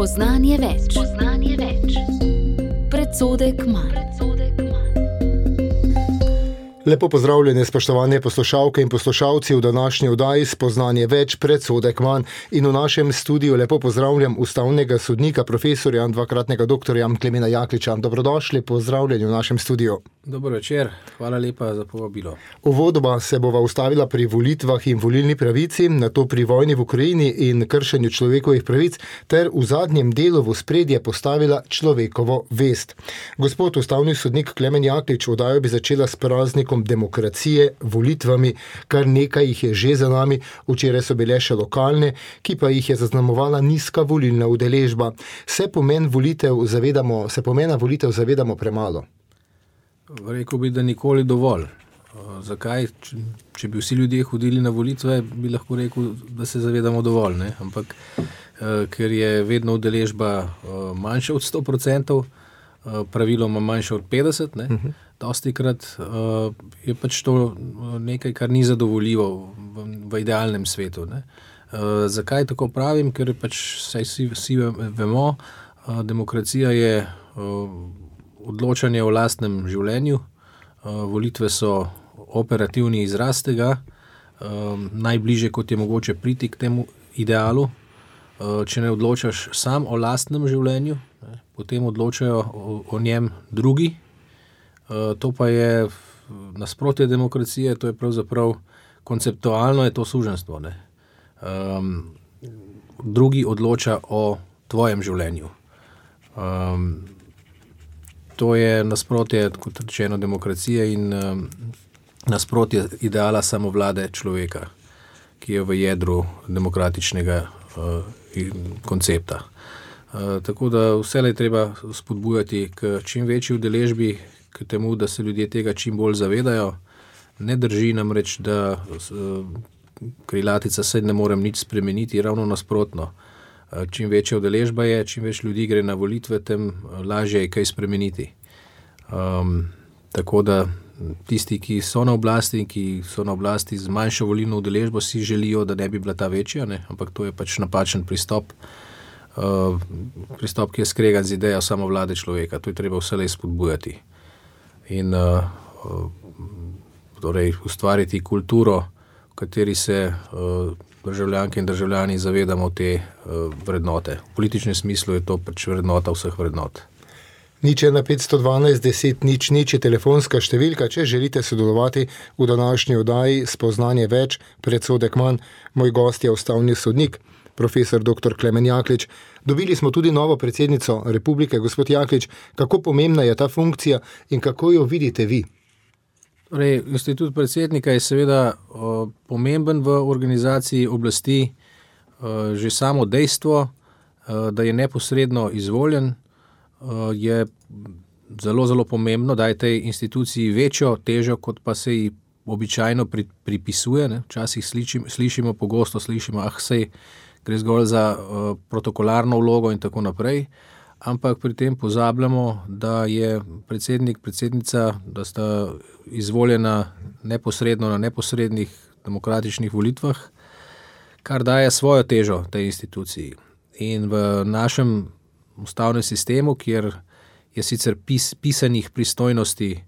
Spoznanje več. Predsodek manj. Lepo pozdravljene, spoštovane poslušalke in poslušalci v današnji oddaji Spoznanje več, predsodek manj. In v našem studiu lepo pozdravljam ustavnega sodnika, profesorja in dvakratnega doktorja Klemena Jakliča. Dobrodošli, pozdravljeni v našem studiu. Dobro večer, hvala lepa za povabilo. Uvodoma se bova ustavila pri volitvah in volilni pravici, nato pri vojni v Ukrajini in kršenju človekovih pravic, ter v zadnjem delu v ospredje postavila človekovo vest. Gospod ustavni sodnik Klemen Jaklič, oddajo bi začela s praznikom demokracije, volitvami, kar nekaj jih je že za nami, včeraj so bile še lokalne, ki pa jih je zaznamovala nizka volilna udeležba. Se pomena volitev zavedamo premalo? Rekel bi, da nikoli dovolj. Zakaj? Če bi vsi ljudje hodili na volitve, bi lahko rekel, da se zavedamo dovolj, ne? Ampak ker je vedno udeležba manjša od 100%, praviloma manjša od 50%, ne? Dostikrat je pač to nekaj, kar ni zadovoljivo v idealnem svetu, ne? Zakaj tako pravim? Ker pač vsi vemo, demokracija je odločanje o lastnem življenju, volitve so operativni izraz tega, najbližje kot je mogoče priti k temu idealu. Če ne odločaš sam o lastnem življenju, potem odločajo o njem drugi. To pa je nasprotje demokracije, to je pravzaprav konceptualno je to suženjstvo, ne. Drugi odloča o tvojem življenju. To je nasprotje, kot rečeno, demokracije in nasprotje ideala samovlade človeka, ki je v jedru demokratičnega koncepta. Tako da vselej treba spodbujati k čim večji udeležbi, k temu, da se ljudje tega čim bolj zavedajo. Ne drži namreč, da krilatica se ne morem nič spremeniti, ravno nasprotno. Čim večja udeležba je, čim več ljudi gre na volitve, tem lažje je kaj spremeniti. Tako da tisti, ki so na oblasti z manjšo volilno udeležbo, si želijo, da ne bi bila ta večja, ne? Ampak to je pač napačen pristop. Pristop, ki je skregan z idejo samovlade človeka. To je treba vselej spodbujati. In torej ustvariti kulturo, v kateri se državljanke in državljani zavedamo te vrednote. V političnem smislu je to pač vrednota vseh vrednot. 0 512 10 0 je telefonska številka, če želite sodelovati v današnji oddaji Spoznanje več, predsodek manj. Moj gost je ustavni sodnik, profesor dr. Klemen Jaklič. Dobili smo tudi novo predsednico republike. Gospod Jaklič, kako pomembna je ta funkcija in kako jo vidite vi? Torej, institut predsednika je seveda pomemben v organizaciji oblasti. Že samo dejstvo, da je neposredno izvoljen, je zelo, zelo pomembno, daje tej instituciji večjo težo, kot pa se ji običajno pripisuje, ne? Včasih pogosto slišimo, sej gre zgolj za protokolarno vlogo in tako naprej, ampak pri tem pozabljamo, da je predsednik, predsednica, da sta izvoljena neposredno na neposrednih demokratičnih volitvah, kar daje svojo težo tej instituciji. In v našem ustavnem sistemu, kjer je sicer pisanih pristojnosti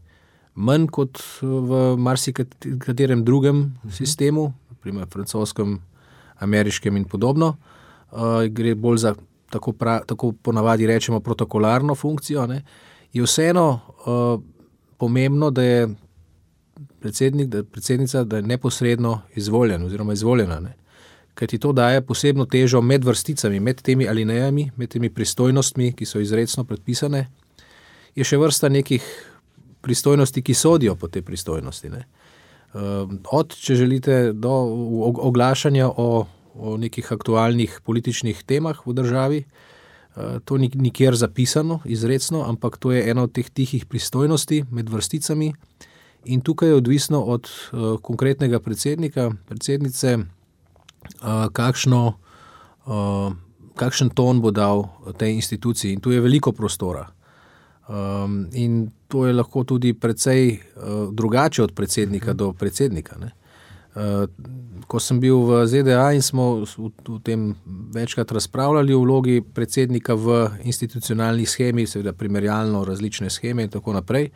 manj kot v marsikaterem drugem sistemu, naprimer francoskem, ameriškem in podobno, gre bolj za tako ponavadi rečemo protokolarno funkcijo, ne, je vseeno pomembno, da je predsednica, da je neposredno izvoljen oziroma izvoljena, ne. Kajti to daje posebno težo med vrsticami, med temi alinejami, med temi pristojnostmi, ki so izrecno predpisane. Je še vrsta nekih pristojnosti, ki sodijo po te pristojnosti, ne. Od, če želite, do oglašanja o nekih aktualnih političnih temah v državi. To ni nikjer zapisano izrecno, ampak to je ena od teh tihih pristojnosti med vrsticami in tukaj je odvisno od konkretnega predsednika, predsednice, kakšen ton bo dal tej instituciji in tu je veliko prostora. In to je lahko tudi precej drugače od predsednika do predsednika, ne. Ko sem bil v ZDA in smo v tem večkrat razpravljali o vlogi predsednika v institucionalni shemi, seveda primerjalno različne sheme in tako naprej,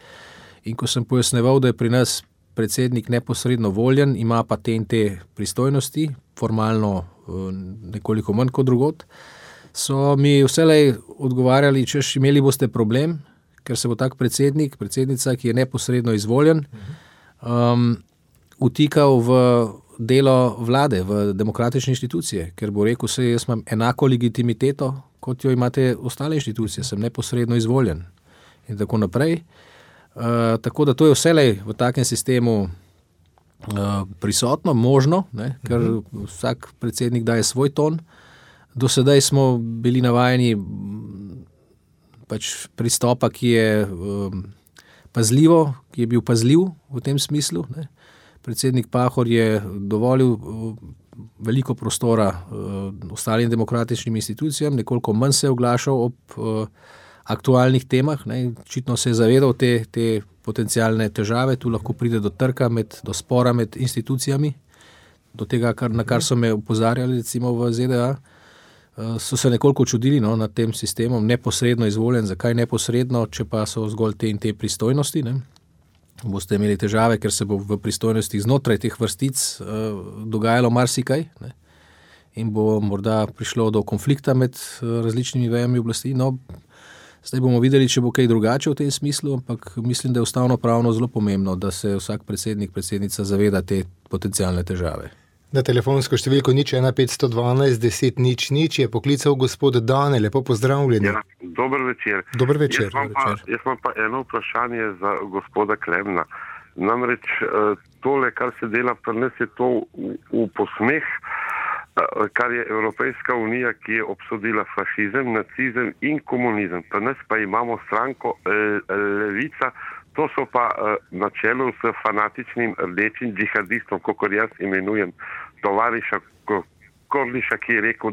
in ko sem pojasneval, da je pri nas predsednik neposredno voljen, ima pa te in te pristojnosti, formalno nekoliko manj kot drugod, so mi vselej odgovarjali, češ imeli boste problem, ker se bo tak predsednik, predsednica, ki je neposredno izvoljen, utikal v delo vlade, v demokratične inštitucije, ker bo rekel, se jaz imam enako legitimiteto, kot jo imate ostale inštitucije, sem neposredno izvoljen in tako naprej. Tako da to je vselej v takem sistemu prisotno, možno, ne, ker vsak predsednik daje svoj ton. Do sedaj smo bili navajeni pač pristopa, ki je pazljivo, ki je bil pazljiv v tem smislu. Ne. Predsednik Pahor je dovolil veliko prostora ostalim demokratičnim institucijam, nekoliko manj se je oglašal ob aktualnih temah. Ne. Očitno se je zavedal te potencialne težave, tu lahko pride do trka, do spora med institucijami, do tega, na kar so me opozarjali recimo v ZDA. So se nekoliko čudili nad tem sistemom, neposredno izvoljen, zakaj neposredno, če pa so zgolj te in te pristojnosti. Ne. Boste imeli težave, ker se bo v pristojnostih znotraj teh vrstic dogajalo marsikaj, ne. In bo morda prišlo do konflikta med različnimi vejami oblasti. No, zdaj bomo videli, če bo kaj drugače v tem smislu, ampak mislim, da je ustavno-pravno zelo pomembno, da se vsak predsednik, predsednica zaveda te potencialne težave. Na telefonsko številko 01512 10 00 je poklical gospod Dane. Lepo pozdravljeni. Ja, dober večer. Dober večer. Jaz imam pa eno vprašanje za gospoda Klemna. Namreč tole, kar se dela pri nas, je to v posmeh, kar je Evropejska unija, ki je obsodila fašizem, nacizem in komunizem. Pri nas pa imamo stranko Levica, to so pa na čelu s fanatičnim rdečim džihadistom, kakor jaz imenujem tovariša Kordiša, ki je rekel,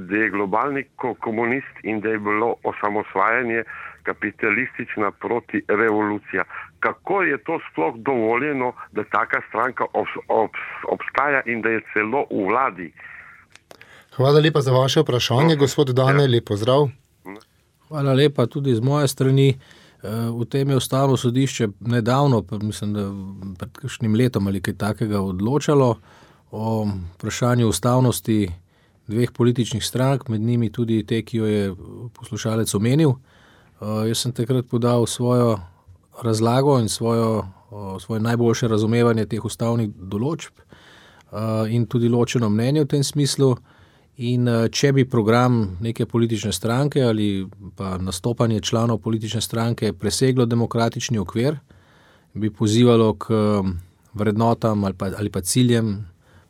da je globalni komunist in da je bilo osamosvajanje kapitalistična protirevolucija. Kako je to sploh dovoljeno, da taka stranka obstaja in da je celo v vladi? Hvala lepa za vaše vprašanje, gospod Dane, lep pozdrav. Hvala lepa tudi z moje strani. V tem je Ustavno sodišče nedavno, mislim, da pred kakšnim letom ali kaj takega odločalo o vprašanju ustavnosti dveh političnih strank, med njimi tudi te, ki jo je poslušalec omenil. Jaz sem takrat podal svojo razlago in svoje najboljše razumevanje teh ustavnih določb in tudi ločeno mnenje v tem smislu. In če bi program neke politične stranke ali pa nastopanje članov politične stranke preseglo demokratični okvir, bi pozivalo k vrednotam ali pa ciljem,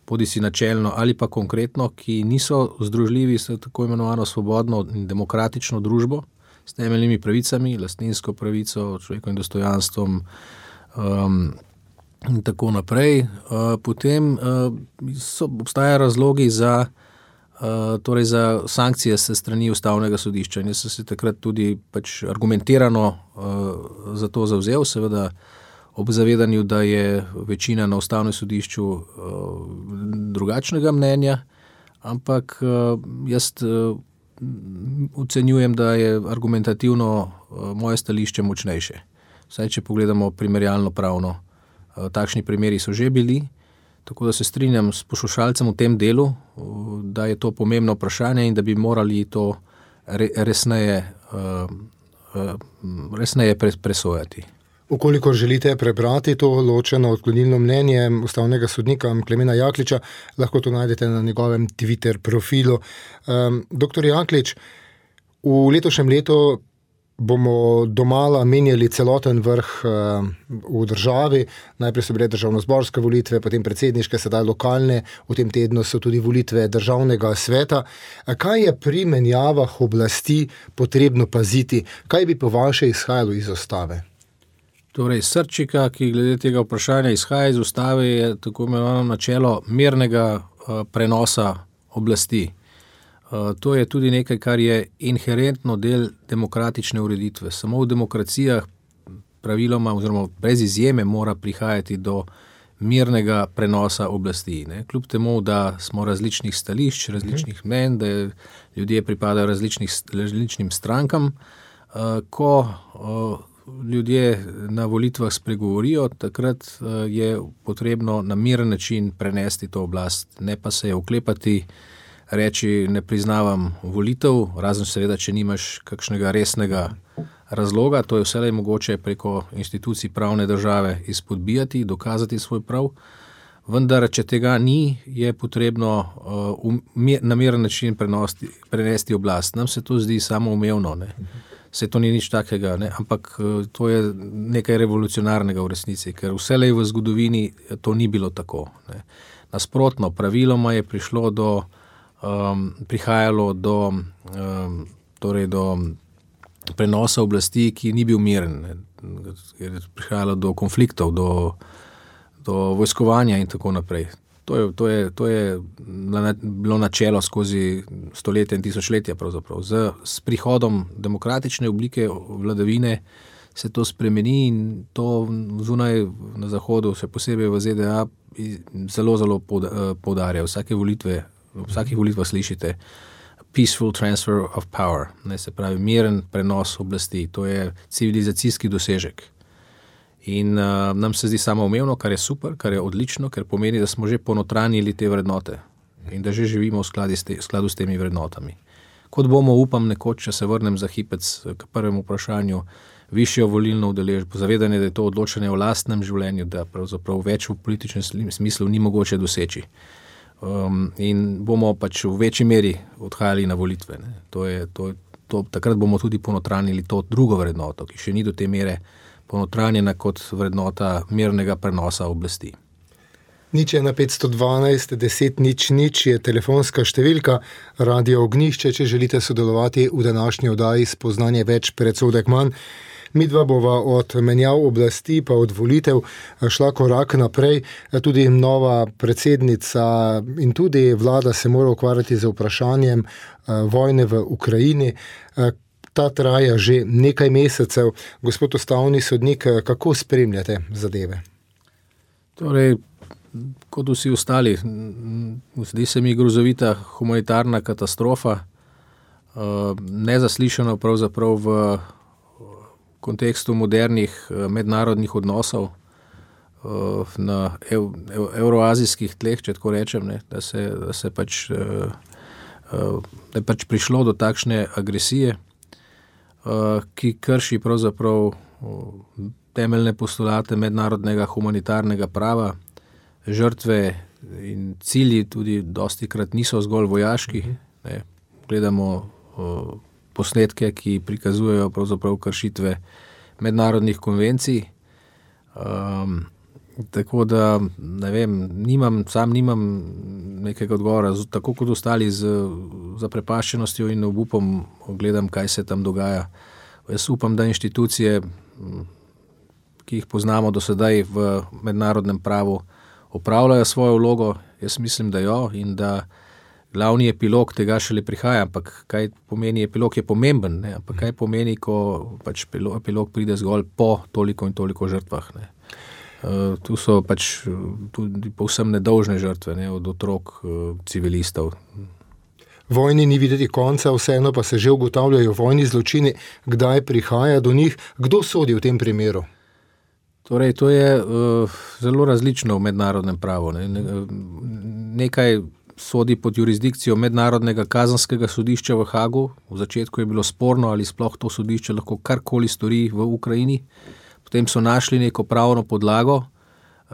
bodisi načelno ali pa konkretno, ki niso združljivi s tako imenovano svobodno in demokratično družbo, s temeljnimi pravicami, lastninsko pravico, človekovim dostojanstvom in tako naprej. Potem obstajajo razlogi za sankcije se strani Ustavnega sodišča. Jaz sem se takrat tudi argumentirano za to zavzel, seveda ob zavedanju, da je večina na Ustavnem sodišču drugačnega mnenja, ampak jaz ocenjujem, da je argumentativno moje stališče močnejše. Vsaj, če pogledamo primerjalno pravno. Takšni primeri so že bili, tako da se strinjam s poslušalcem v tem delu, da je to pomembno vprašanje in da bi morali to resneje presojati. Ukolikor želite prebrati to ločeno odklonilno mnenje ustavnega sodnika Klemena Jakliča, lahko to najdete na njegovem Twitter profilu. Dr. Jaklič, v letošnjem letu bomo domala menjali celoten vrh v državi. Najprej so bile državnozborske volitve, potem predsedniške, sedaj lokalne, v tem tednu so tudi volitve državnega sveta. Kaj je pri menjavah oblasti potrebno paziti? Kaj bi po vaše izhajalo iz ustave? Torej, srčika, ki glede tega vprašanja izhaja iz ustave, je tako imenovano načelo mirnega prenosa oblasti. To je tudi nekaj, kar je inherentno del demokratične ureditve. Samo v demokracijah praviloma oziroma brez izjeme mora prihajati do mirnega prenosa oblasti. Ne. Kljub temu, da smo različnih stališč, različnih mnenj, da ljudje pripadajo različnim strankam, ko ljudje na volitvah spregovorijo, takrat je potrebno na miren način prenesti to oblast, ne pa se oklepati, reči ne priznavam volitev, razen seveda, če nimaš kakšnega resnega razloga, to je vselej mogoče preko institucij pravne države izpodbijati, dokazati svoj prav, vendar, če tega ni, je potrebno na miren način prenesti oblast. Nam se to zdi samoumevno, ne. Se to ni nič takega, ne? Ampak to je nekaj revolucionarnega v resnici, ker vselej v zgodovini to ni bilo tako. Ne? Nasprotno, praviloma je prihajalo do prenosa oblasti, ki ni bil miren, ne? Je prihajalo do konfliktov, do vojskovanja in tako naprej. To je bilo načelo skozi stoletja in tisočletja pravzaprav. S prihodom demokratične oblike vladavine se to spremeni in to zunaj na zahodu, še posebej v ZDA, zelo, zelo poudarja. V vsakih volitvah slišite peaceful transfer of power, ne, se pravi miren prenos oblasti. To je civilizacijski dosežek. In nam se zdi samoumevno, kar je super, kar je odlično, ker pomeni, da smo že ponotranjili te vrednote in da že živimo v skladu s temi vrednotami. Kot bomo, upam, nekoč, če se vrnem za hipec k prvemu vprašanju, višjo volilno udeležbo, zavedanje, da je to odločanje o lastnem življenju, da pravzaprav več v političnem smislu ni mogoče doseči. In bomo pač v večji meri odhajali na volitve. Ne. Takrat bomo tudi ponotranjili to drugo vrednoto, ki še ni do te mere ponotranjena kot vrednota mirnega prenosa oblasti. 01512 10 00 je telefonska številka Radio Ognjišče, če želite sodelovati v današnji oddaji Spoznanje več, predsodek manj. Midva bova od menjav oblasti pa od volitev šla korak naprej. Tudi nova predsednica in tudi vlada se mora ukvarjati z vprašanjem vojne v Ukrajini. Ta traja že nekaj mesecev. Gospod ustavni sodnik, kako spremljate zadeve? Torej, kot vsi ostali, zdi se mi grozovita humanitarna katastrofa, nezaslišano pravzaprav v kontekstu modernih mednarodnih odnosov na evroazijskih tleh, če tako rečem, ne, da je pač prišlo do takšne agresije, ki krši pravzaprav temeljne postulate mednarodnega humanitarnega prava. Žrtve in cilji tudi dostikrat niso zgolj vojaški. Ne. Gledamo posnetke, ki prikazujejo pravzaprav kršitve mednarodnih konvencij. Tako da, ne vem, nimam nekega odgovora, tako kot ostali z zaprepaščenostjo in obupom gledam, kaj se tam dogaja. Jaz upam, da inštitucije, ki jih poznamo do sedaj v mednarodnem pravu, opravljajo svojo vlogo. Jaz mislim, da jo, in da glavni epilog tega šele prihaja, ampak kaj pomeni epilog, je pomemben, ne? Ampak kaj pomeni, ko pač epilog pride zgolj po toliko in toliko žrtvah, ne? Tu so pač tudi povsem nedolžne žrtve, ne, od otrok, civilistov. Vojni ni videti konca, vseeno pa se že ugotavljajo vojni zločini. Kdaj prihaja do njih? Kdo sodi v tem primeru? Torej, to je zelo različno v mednarodnem pravu. Ne. Nekaj sodi pod jurisdikcijo Mednarodnega kazenskega sodišča v Hagu. V začetku je bilo sporno, ali sploh to sodišče lahko karkoli stori v Ukrajini. Potem so našli neko pravno podlago,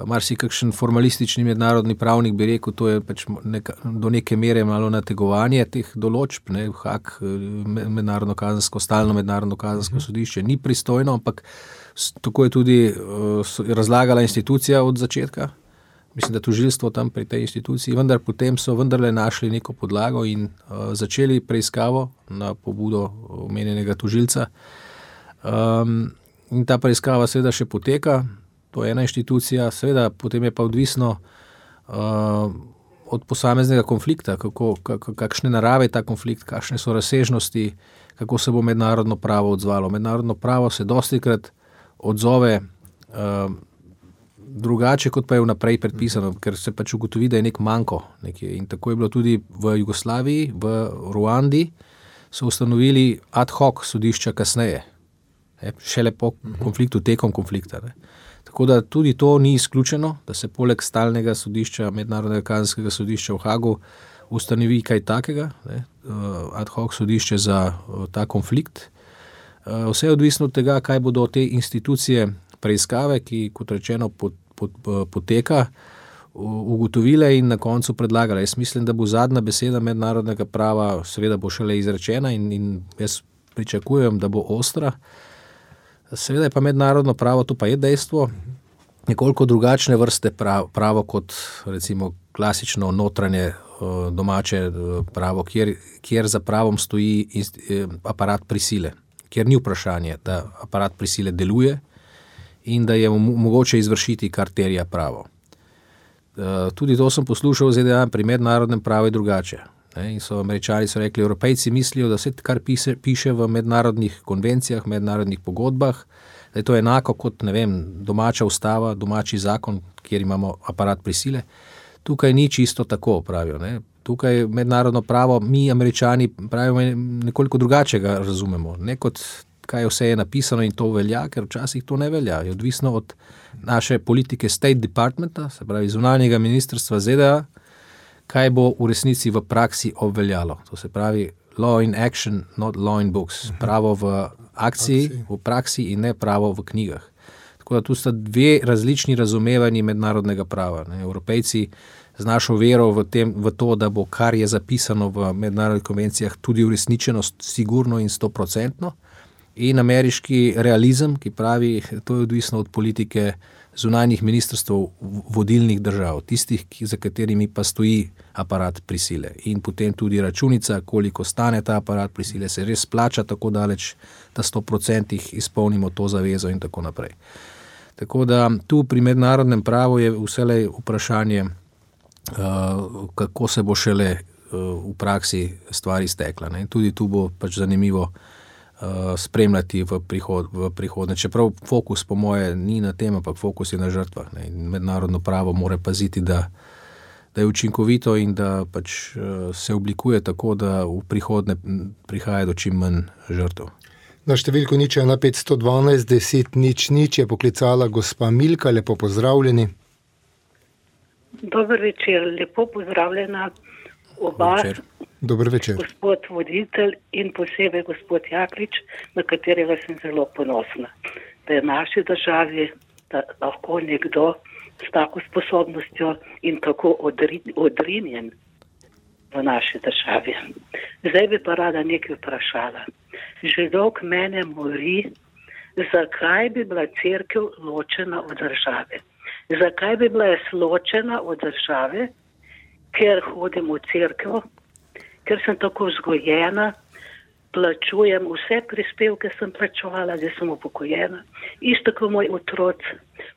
marsikakšen formalistični mednarodni pravnik bi rekel, to je pač do neke mere malo nategovanje teh določb, ne, Haag, stalno mednarodno kazensko sodišče ni pristojno, ampak tako je tudi razlagala institucija od začetka, mislim, da tožilstvo tam pri tej instituciji, vendar potem so vendarle našli neko podlago in začeli preiskavo na pobudo omenjenega tožilca. In ta preiskava seveda še poteka, to je ena inštitucija, seveda potem je pa odvisno od posameznega konflikta, kakšne narave ta konflikt, kakšne so razsežnosti, kako se bo mednarodno pravo odzvalo. Mednarodno pravo se dostikrat odzove drugače, kot pa je vnaprej predpisano, ker se pač ugotovi, da je nek manko. In tako je bilo tudi v Jugoslaviji, v Ruandi, so ustanovili ad hoc sodišča kasneje, šele po konfliktu, tekom konflikta. Tako da tudi to ni izključeno, da se poleg stalnega sodišča, mednarodnega kazenskega sodišča v Hagu, ustanovi kaj takega, ad hoc sodišče za ta konflikt. Vse je odvisno od tega, kaj bodo te institucije preiskave, ki, kot rečeno, poteka, ugotovile in na koncu predlagale. Jaz mislim, da bo zadnja beseda mednarodnega prava seveda bo šele izrečena in jaz pričakujem, da bo ostra. Seveda je pa mednarodno pravo, to pa je dejstvo, nekoliko drugačne vrste pravo kot recimo klasično notranje domače pravo, kjer za pravom stoji aparat prisile, kjer ni vprašanje, da aparat prisile deluje in da je mogoče izvršiti, kar terja pravo. Tudi to sem poslušal v ZDA, pri mednarodnem pravu je drugače. In so Američani rekli, Evropejci mislijo, da vse, kar piše v mednarodnih konvencijah, mednarodnih pogodbah, da je to enako kot, ne vem, domača ustava, domači zakon, kjer imamo aparat prisile. Tukaj ni čisto tako, pravijo. Tukaj mednarodno pravo, mi Američani pravimo nekoliko drugačega razumemo. Ne kot kaj vse je napisano in to velja, ker včasih to ne velja. Je odvisno od naše politike State Departmenta, se pravi zunanjega ministrstva ZDA, kaj bo v resnici v praksi obveljalo. To se pravi law in action, not law in books. Pravo v akciji, v praksi in ne pravo v knjigah. Tako da tu sta dve različni razumevanji mednarodnega prava. Evropejci z našo vero v to, da bo kar je zapisano v mednarodnih konvencijah tudi uresničeno sigurno in 100%, in ameriški realizem, ki pravi, to je odvisno od politike zunanjih ministrstv vodilnih držav, tistih, za katerimi pa stoji aparat prisile. In potem tudi računica, koliko stane ta aparat prisile, se res plača tako daleč, da 100% izpolnimo to zavezo in tako naprej. Tako da tu pri mednarodnem pravu je vselej vprašanje, kako se bo šele v praksi stvari stekla. In tudi tu bo pač zanimivo spremljati v prihodnje. Čeprav fokus po moje ni na tem, ampak fokus je na žrtvah. In mednarodno pravo mora paziti, da je učinkovito in da pač se oblikuje tako, da v prihodnje prihaja do čim manj žrtev. Na številko 01512 10 00 je poklicala gospa Milka, lepo pozdravljeni. Dober večer, lepo pozdravljena oba. Dober večer. Gospod voditelj in posebej gospod Jaklič, na katerega sem zelo ponosna, da je v naši državi da lahko nekdo s tako sposobnostjo in tako odrinjen v naši državi. Zdaj bi pa rada nekaj vprašala. Že dolg mene mori, zakaj bi bila cerkev ločena od države. Zakaj bi bila ločena od države, ker hodim v cerkev, ker sem tako vzgojena, plačujem vse prispevke, sem plačevala, da sem upokojena, isto kot moj otrok.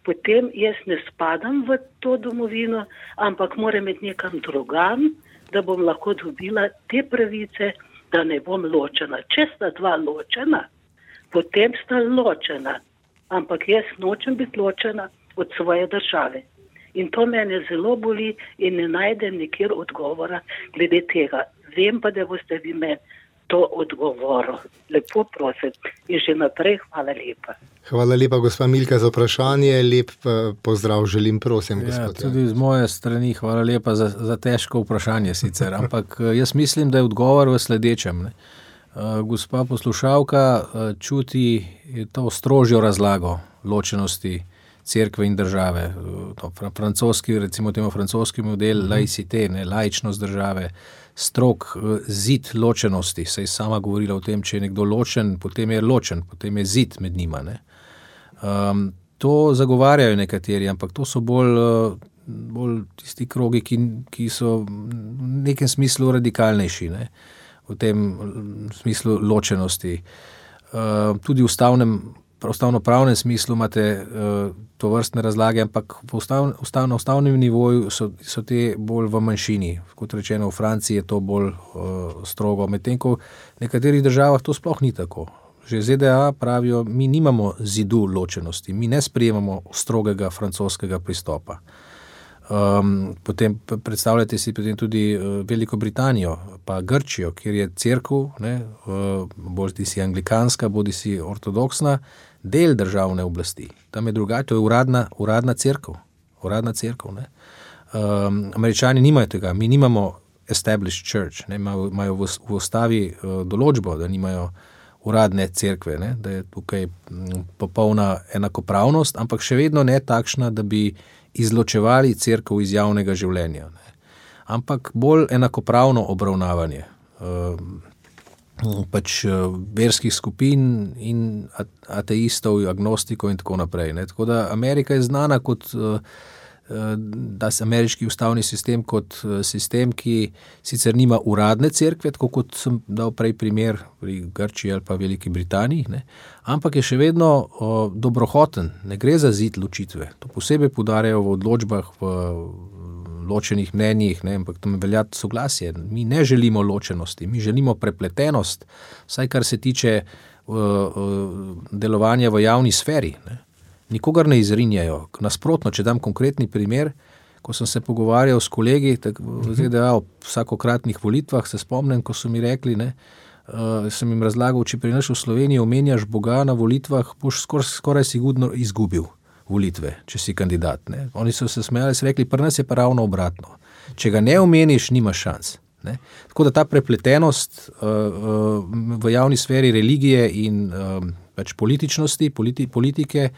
Potem jaz ne spadam v to domovino, ampak moram iti nekam drugam, da bom lahko dobila te pravice, da ne bom ločena. Če sta dva ločena, potem sta ločena, ampak jaz nočem biti ločena od svoje države. In to mene zelo boli in ne najdem nikjer odgovora glede tega. Vem pa, da boste vi meni to odgovorili. Lepo prosim in že naprej hvala lepa. Hvala lepa, gospa Milka, za vprašanje. Lep pozdrav želim, prosim, gospod. Tudi z moje strani hvala lepa za težko vprašanje sicer, ampak jaz mislim, da je odgovor v sledečem. Gospa poslušalka čuti to strožjo razlago ločenosti cerkve in države. Francoski, recimo temu francoski model laicite, laičnost države, strog zid ločenosti. Se je sama govorila o tem, če je nekdo ločen, potem je ločen, potem je zid med njima. To zagovarjajo nekateri, ampak to so bolj tisti krogi, ki so v nekem smislu radikalnejši, v tem smislu ločenosti. Tudi v ustavno-pravnem smislu imate to vrstne razlage, ampak na ustavnem nivoju so te bolj v manjšini. Kot rečeno, v Franciji je to bolj strogo, medtem ko v nekaterih državah to sploh ni tako. že ZDA pravijo, mi nimamo zidu ločenosti, mi ne sprejemamo strogega francoskega pristopa. Potem predstavljate si potem tudi Veliko Britanijo, pa Grčijo, kjer je cerkev, bodi si anglikanska, bodi si ortodoksna, del državne oblasti. Tam je drugače, to je uradna cerkev. Američani nimajo tega, mi nimamo established church, imajo v ustavi določbo, da nimajo uradne cerkve, da je tukaj popolna enakopravnost, ampak še vedno ne takšna, da bi izločevali cerkev iz javnega življenja. Ampak bolj enakopravno obravnavanje verskih skupin in ateistov, agnostikov in tako naprej. Tako da Amerika je znana kot da se ameriški ustavni sistem kot sistem, ki sicer nima uradne cerkve, tako kot sem dal prej primer pri Grčiji ali pa Veliki Britaniji, ampak je še vedno dobrohoten, ne gre za zid ločitve. To posebej poudarjajo v odločbah, v ločenih mnenjih, ampak tam velja soglasje. Mi ne želimo ločenosti, mi želimo prepletenost, vsaj kar se tiče delovanja v javni sferi. Nikogar ne izrinjajo. Nasprotno, če dam konkretni primer, ko sem se pogovarjal s kolegi v ZDA o vsakokratnih volitvah, se spomnim, ko so mi rekli, sem jim razlagal, če pri nas v Sloveniji omenjaš Boga na volitvah, boš skoraj sigurno izgubil volitve, če si kandidat. Oni so se smejali, so rekli, pri nas je pa ravno obratno. Če ga ne omeniš, nimaš šans. Tako da ta prepletenost v javni sferi religije in političnosti, politike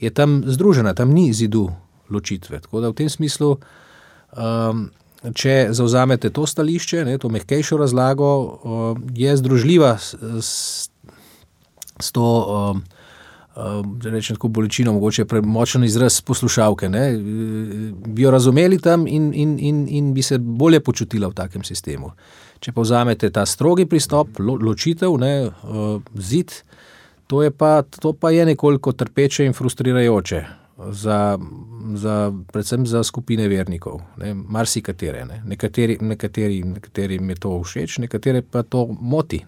je tam združena, tam ni zidu ločitve. Tako da v tem smislu, če zavzamete to stališče, to mehkejšo razlago, je združljiva s to, da rečem tako bolečino, mogoče premočen izraz poslušalke, bi jo razumeli tam in bi se bolje počutila v takem sistemu. Če pa vzamete ta strogi pristop, ločitev, zid, to pa je nekoliko trpeče in frustrirajoče predvsem za skupine vernikov, marsikatere. Nekaterim je to všeč, nekatere pa to moti.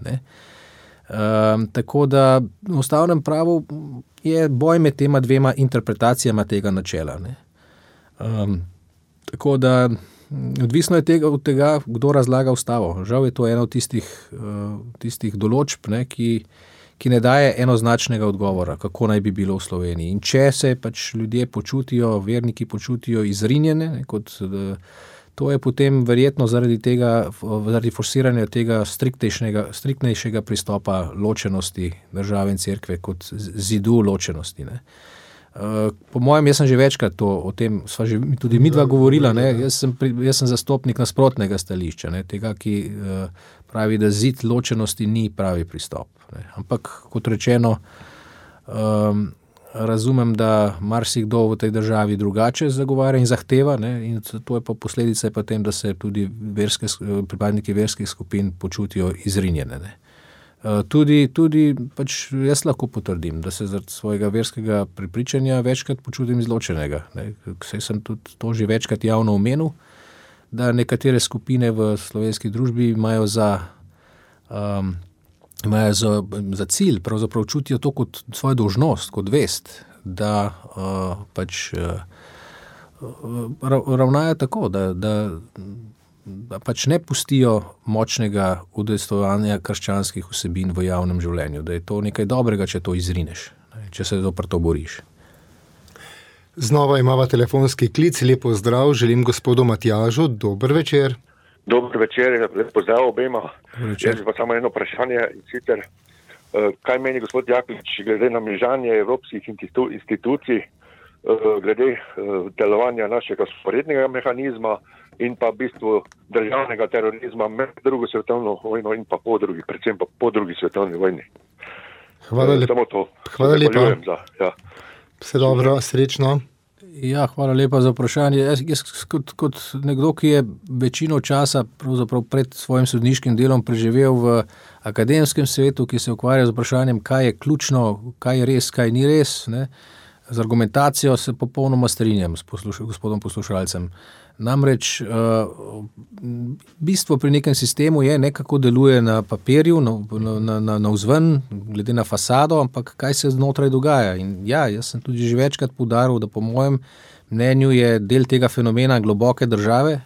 Tako da v ustavnem pravu je boj med tema dvema interpretacijama tega načela. Tako da odvisno je od tega, kdo razlaga ustavo. Žal je to ena od tistih določb, ki ne daje enoznačnega odgovora, kako naj bi bilo v Sloveniji. In če se ljudje počutijo, verniki počutijo izrinjene, to je potem verjetno zaradi forsiranja tega striktnejšega pristopa ločenosti države in cerkve kot zidu ločenosti. Po mojem, jaz sem že večkrat o tem, sva že tudi midva govorila, jaz sem zastopnik nasprotnega stališča, tega, ki pravi, da zid ločenosti ni pravi pristop. Ampak, kot rečeno, razumem, da marsikdo v tej državi drugače zagovarja in zahteva, in to je pa posledica potem, da se tudi pripadniki verskih skupin počutijo izrinjene. Tudi jaz lahko potrdim, da se zaradi svojega verskega prepričanja večkrat počutim izločenega. Saj sem tudi to že večkrat javno omenil, da nekatere skupine v slovenski družbi imajo za cilj, pravzaprav čutijo to kot svojo dolžnost, kot vest, da ravnajo tako, da ne pustijo močnega udejstvovanja krščanskih vsebin v javnem življenju, da je to nekaj dobrega, če to izrineš, če se zoper to boriš. Znova imava telefonski klic, lepo zdrav, želim gospodu Matjažu, dober večer. Dober večer, lepo zdrav obema. Jaz pa samo eno vprašanje, in sicer, kaj meni gospod Jaklič glede na mreženje evropskih institucij, glede delovanja našega sporednega mehanizma in pa v bistvu državnega terorizma med drugo svetovno vojno in pa predvsem po drugi svetovni vojni. Hvala lepa. Vse dobro, srečno. Ja, hvala lepa za vprašanje. Jaz kot nekdo, ki je večino časa pravzaprav pred svojim sodniškim delom preživel v akademskem svetu, ki se ukvarja z vprašanjem, kaj je ključno, kaj je res, kaj ni res, Z argumentacijo se popolnoma strinjam s gospodom poslušalcem. Namreč bistvo pri nekem sistemu je nekako deluje na papirju, na vzven, glede na fasado, ampak kaj se znotraj dogaja. In ja, jaz sem tudi že večkrat poudaril, da po mojem mnenju je del tega fenomena globoke države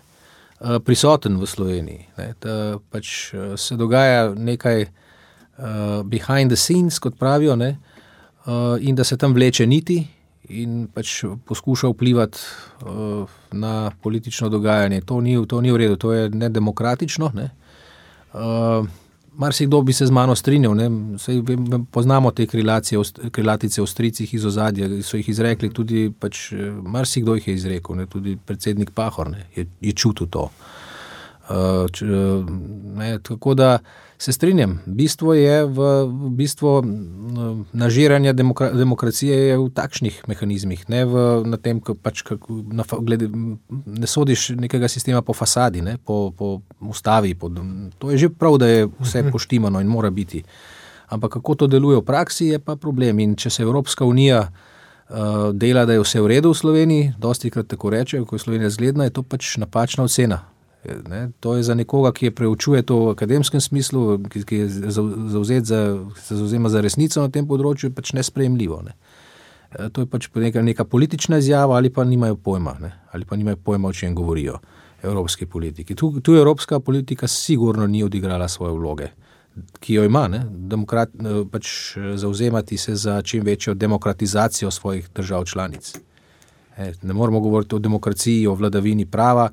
prisoten v Sloveniji. Da pač se dogaja nekaj behind the scenes, kot pravijo, in da se tam vleče niti in pač poskuša vplivati na politično dogajanje. To ni v redu, to je nedemokratično. Marsikdo bi se z mano strinjal, saj poznamo te krilatice o stricih iz ozadja, so jih izrekli tudi, pač marsikdo jih je izrekel, tudi predsednik Pahor je čutil to. Tako da se strinjam, bistvo je bistvo nažiranja demokracije je v takšnih mehanizmih, ne na tem, ne sodiš nekega sistema po fasadi, po ustavi, to je že prav, da je vse poštimano in mora biti. Ampak kako to deluje v praksi, je pa problem. In če se Evropska unija dela, da je vse v redu v Sloveniji, dostikrat tako reče, ko je Slovenija zgledna, je to pač napačna ocena. To je za nekoga, ki preučuje to v akademskem smislu, ki je se zauzema za resnico na tem področju, pač nesprejemljivo. To je pač neka politična izjava ali pa nimajo pojma, ali pa nimajo pojma, o čem govorijo evropski politiki. Tu evropska politika sigurno ni odigrala svoje vloge, ki jo ima, pač zauzemati se za čim večjo demokratizacijo svojih držav članic. Ne moramo govoriti o demokraciji, o vladavini prava,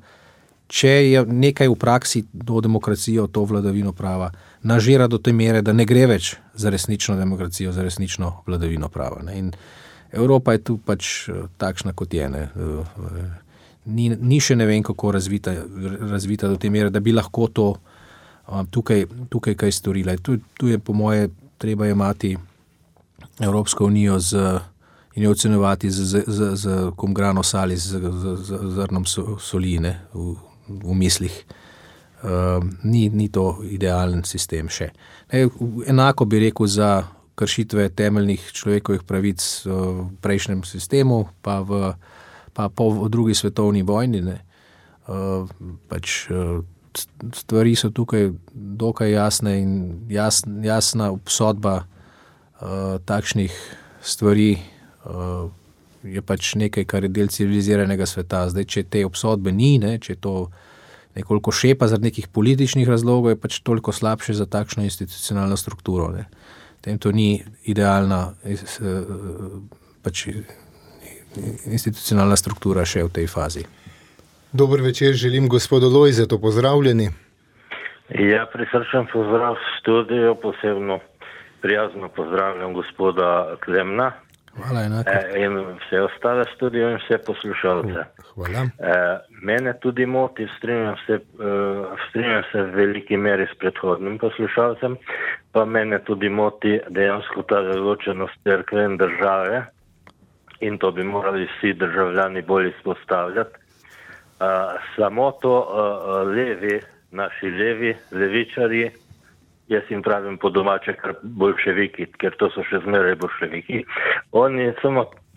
če je nekaj v praksi do demokracijo, to vladavino prava nažira do te mere, da ne gre več za resnično demokracijo, za resnično vladavino prava. In Evropa je tu pač takšna, kot je. Ni še ne vem, kako razvita do te mere, da bi lahko to tukaj kaj storila. Tu je po moje treba imati Evropsko unijo in jo ocenjevati z komgrano sali, z zrnom soli, v mislih. Ni to idealen sistem še. Enako bi rekel za kršitve temeljnih človekovih pravic v prejšnjem sistemu, pa po drugi svetovni vojni. Pač stvari so tukaj dokaj jasne in jasna obsodba takšnih stvari je pač nekaj, kar je del civiliziranega sveta. Zdaj, če te obsodbe ni, če to nekoliko šepa zaradi nekih političnih razlogov, je pač toliko slabše za takšno institucionalno strukturo. Tem to ni idealna pač institucionalna struktura še v tej fazi. Dober večer, želim gospodu Lojzetu, pozdravljeni. Ja, prisrčen pozdrav v studijo, posebno prijazno pozdravljam gospoda Klemna. Hvala, enako. In vse ostale studio in vse poslušalce. Hvala. Mene tudi moti, strinjam se v veliki meri s predhodnim poslušalcem, pa mene tudi moti dejansko ta ločenost cerkve in države in to bi morali vsi državljani bolj izpostavljati. Samo to naši levičarji, jaz jim pravim po domače kar boljševiki, ker to so še zmeraj boljševiki. Oni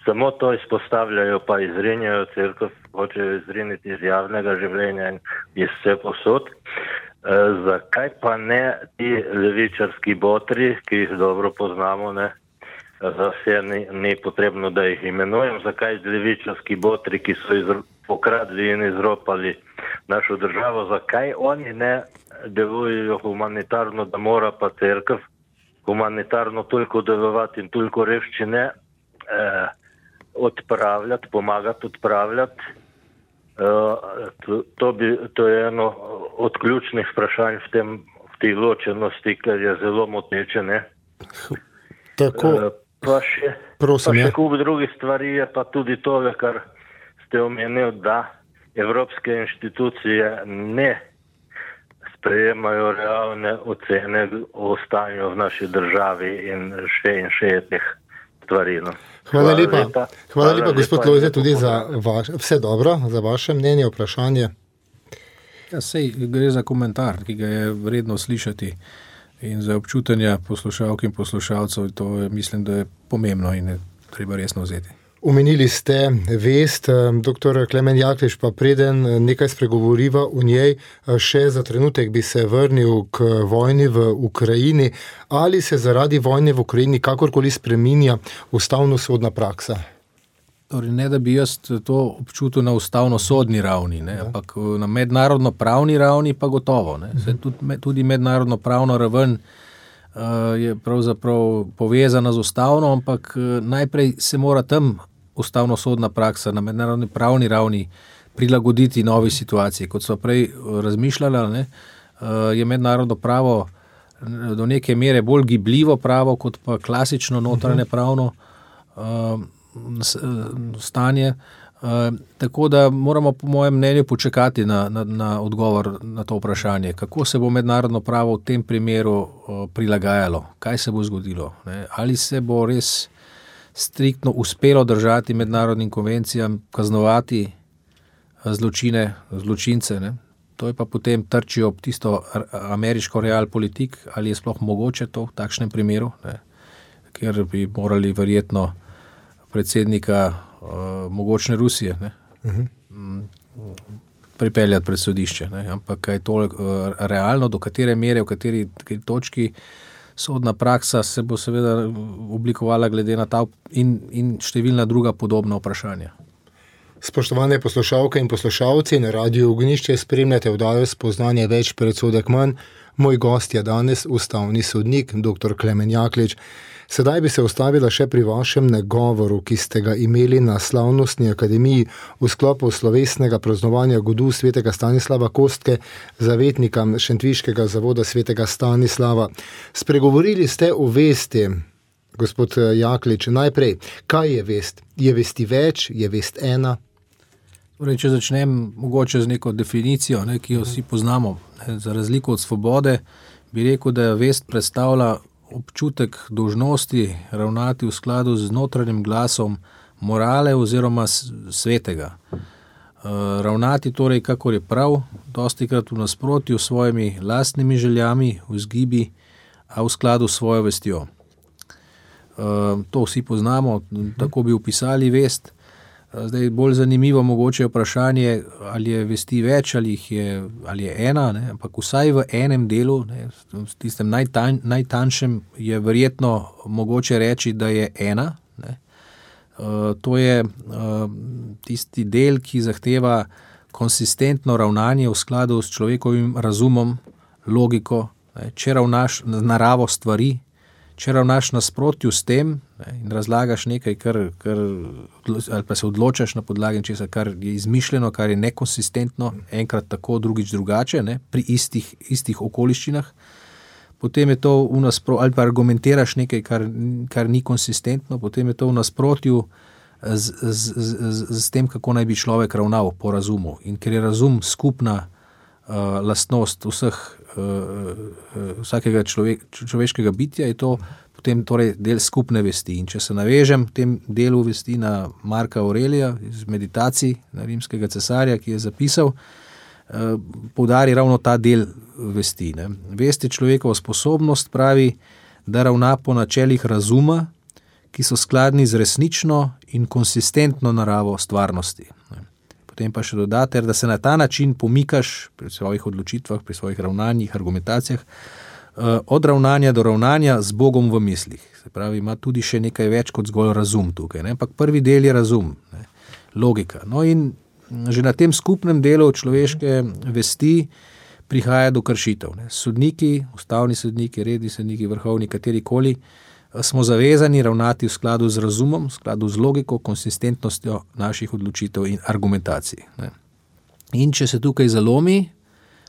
samo to izpostavljajo, pa izrinjajo cerkev, hočejo izriniti iz javnega življenja in iz vse posod. Zakaj pa ne ti levičarski botri, ki jih dobro poznamo, za vse ni potrebno, da jih imenujem, zakaj levičarski botri, ki so pokradli in izropali našo državo, zakaj oni ne delujejo humanitarno, da mora pa cerkev humanitarno toliko delovati in toliko revščine odpravljati, pomagati odpravljati. To je eno od ključnih vprašanj v tej ločenosti, ker je zelo moteče. Tako, pa še kup drugih stvari je pa tudi tole, kar ste omenili, da evropske inštitucije ne sprejemajo realne ocene o stanju v naši državi in še teh stvari. Hvala lepa, gospod Lojze, tudi za vse dobro, za vaše mnenje, vprašanje. Ja, sej gre za komentar, ki ga je vredno slišati in za občutanja poslušalk in poslušalcev, to mislim, da je pomembno in je treba resno vzeti. Omenili ste vest, dr. Klemen Jaklič, pa preden nekaj spregovoriva o njej, še za trenutek bi se vrnil k vojni v Ukrajini. Ali se zaradi vojne v Ukrajini kakorkoli spreminja ustavno-sodna praksa? Torej, ne, da bi jaz to občutil na ustavno-sodni ravni, ne, ampak na mednarodno-pravni ravni pa gotovo. Ne. Tudi mednarodno-pravno raven je pravzaprav povezana z ustavno, ampak najprej se mora tam ustavno-sodna praksa na mednarodni pravni ravni prilagoditi novi situaciji. Kot smo prej razmišljali, ne, je mednarodno pravo do neke mere bolj gibljivo pravo, kot pa klasično notranje pravno stanje. Tako da moramo po mojem mnenju počakati na odgovor na to vprašanje, kako se bo mednarodno pravo v tem primeru prilagajalo, kaj se bo zgodilo, ne? Ali se bo res striktno uspelo držati mednarodnim konvencijam, kaznovati zločince, ne? To je pa potem trčijo ob tisto ameriško realpolitik, ali je sploh mogoče to v takšnem primeru, ne? Ker bi morali verjetno predsednika mogočne Rusije, ne? Pripeljati pred sodišče, ne? Ampak kaj to realno, do katere mere, v kateri točki sodna praksa se bo seveda oblikovala glede na ta in številna druga podobna vprašanja. Spoštovane poslušalke in poslušalci, na Radiu Ognišče spremljate oddajo Spoznanje več, predsodek manj. Moj gost je danes ustavni sodnik, dr. Klemen Jaklič. Sedaj bi se ustavila še pri vašem nagovoru, ki ste ga imeli na Slavnostni akademiji v sklopu slovesnega praznovanja godu svetega Stanislava Kostke, zavetnika Šentviškega zavoda svetega Stanislava. Spregovorili ste o vesti, gospod Jaklič. Najprej, kaj je vest? Je vesti več? Je vest ena? Torej, če začnem mogoče z neko definicijo, ne, ki jo vsi poznamo, ne, za razliko od svobode, bi rekel, da vest predstavlja občutek dolžnosti ravnati v skladu z notranjim glasom morale oziroma svetega. Ravnati torej, kakor je prav, dostikrat v nasprotju s svojimi lastnimi željami, vzgibi, a v skladu s svojo vestjo. To vsi poznamo, tako bi opisali vest. Zdaj, bolj zanimivo mogoče je vprašanje, ali je vesti več, ali je ena, ne? Ampak vsaj v enem delu, ne, v tistem najtanjšem, je verjetno mogoče reči, da je ena. Ne? To je tisti del, ki zahteva konsistentno ravnanje v skladu s človekovim razumom, logiko, ne? Če ravnaš naravo stvari, če ravnaš nasprotju s tem, ne, in razlagaš nekaj, ali pa se odločaš na podlagi česa, kar je izmišljeno, kar je nekonsistentno, enkrat tako, drugič drugače, ne, pri istih okoliščinah, potem je to ali pa argumentiraš nekaj, kar ni konsistentno, potem je to v nasprotju z tem, kako naj bi človek ravnal po razumu. In ker je razum skupna lastnost vsakega človeškega bitja, je to potem torej del skupne vesti. In če se navežem v tem delu vesti na Marka Aurelija iz Meditacij na rimskega cesarja, ki je zapisal, poudari ravno ta del vesti. Ne. Vest je človekova sposobnost, pravi, da ravna po načelih razuma, ki so skladni z resnično in konsistentno naravo stvarnosti. Ne. Potem pa še dodati, da se na ta način pomikaš pri svojih odločitvah, pri svojih ravnanjih, argumentacijah, od ravnanja do ravnanja z Bogom v mislih. Se pravi, ima tudi še nekaj več kot zgolj razum tukaj. Ne? Ampak prvi del je razum, ne? Logika. No in že na tem skupnem delu človeške vesti prihaja do kršitev. Ne? Sodniki, ustavni sodniki, redni sodniki, vrhovni, katerikoli, smo zavezani ravnati v skladu z razumom, v skladu z logiko, konsistentnostjo naših odločitev in argumentacij. Ne. In če se tukaj zalomi,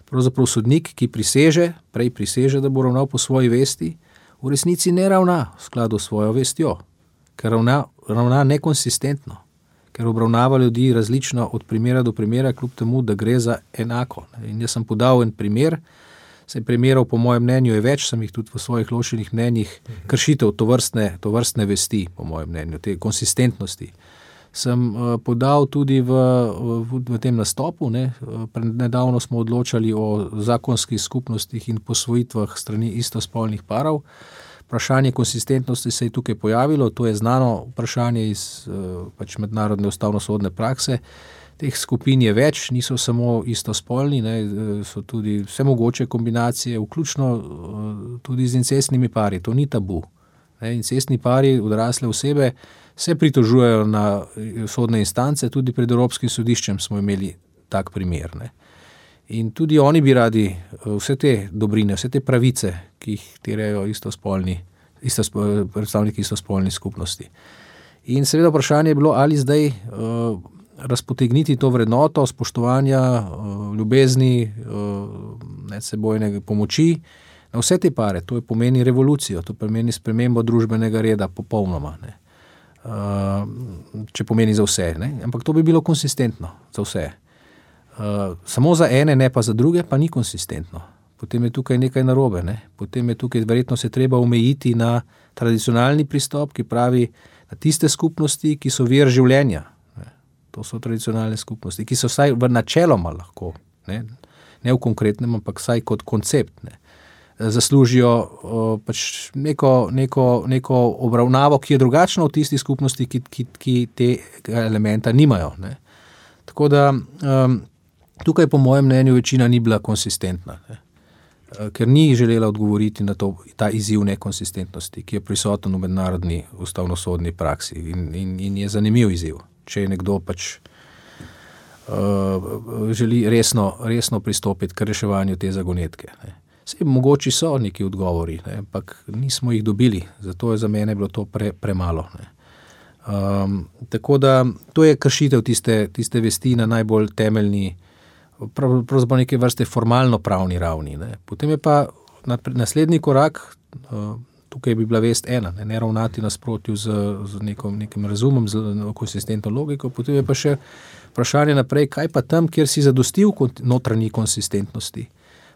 pravzaprav sodnik, ki prej priseže, da bo ravnal po svoji vesti, v resnici ne ravna v skladu s svojo vestjo, ker ravna nekonsistentno, ker obravnava ljudi različno od primera do primera, kljub temu, da gre za enako. In jaz sem podal en primer, primerov, po mojem mnenju, je več, sem jih tudi v svojih ločenih mnenjih kršitev tovrstne vesti, po mojem mnenju, te konsistentnosti. Sem podal tudi v tem nastopu, ne. Nedavno smo odločali o zakonskih skupnostih in posvojitvah strani istospolnih parov. Vprašanje konsistentnosti se je tukaj pojavilo, to je znano vprašanje iz pač mednarodne ustavnosodne prakse. Teh skupin je več, niso samo istospolni, so tudi vse mogoče kombinacije, vključno tudi z incestnimi pari, to ni tabu. Incestni pari, odrasle osebe, se pritožujejo na sodne instance, tudi pred Evropskim sodiščem smo imeli tak primer. In tudi oni bi radi vse te dobrine, vse te pravice, ki jih terjajo predstavniki istospolnih skupnosti. In seveda vprašanje je bilo, ali zdaj razpotegniti to vrednoto spoštovanja, ljubezni, medsebojne pomoči na vse te pare. To pomeni revolucijo, to pomeni spremembo družbenega reda popolnoma. Če pomeni za vse. Ampak to bi bilo konsistentno za vse. Samo za ene, ne pa za druge, pa ni konsistentno. Potem je tukaj nekaj narobe. Potem je tukaj verjetno se treba omejiti na tradicionalni pristop, ki pravi na tiste skupnosti, ki so vir življenja. To so tradicionalne skupnosti, ki so vsaj v načeloma lahko, ne v konkretnem, ampak vsaj kot koncept, zaslužijo pač neko obravnavo, ki je drugačna od tistih skupnosti, ki tega elementa nimajo. Tako da tukaj po mojem mnenju večina ni bila konsistentna, ker ni želela odgovoriti na ta izziv nekonsistentnosti, ki je prisoten v mednarodni ustavnosodni praksi in je zanimiv izziv. Če je nekdo pač želi resno pristopiti k reševanju te zagonetke. Saj mogoči so neki odgovori, ampak nismo jih dobili, zato je za mene bilo to premalo. Tako da to je kršitev tiste vesti na najbolj temeljni, pravzaprav neke vrste formalno-pravni ravni. Potem je pa naslednji korak, tukaj bi bila vest ena, ne ravnati nasprotju z nekim razumom, z konsistentno logiko, potem je pa še vprašanje naprej, kaj pa tam, kjer si zadostil notranji konsistentnosti,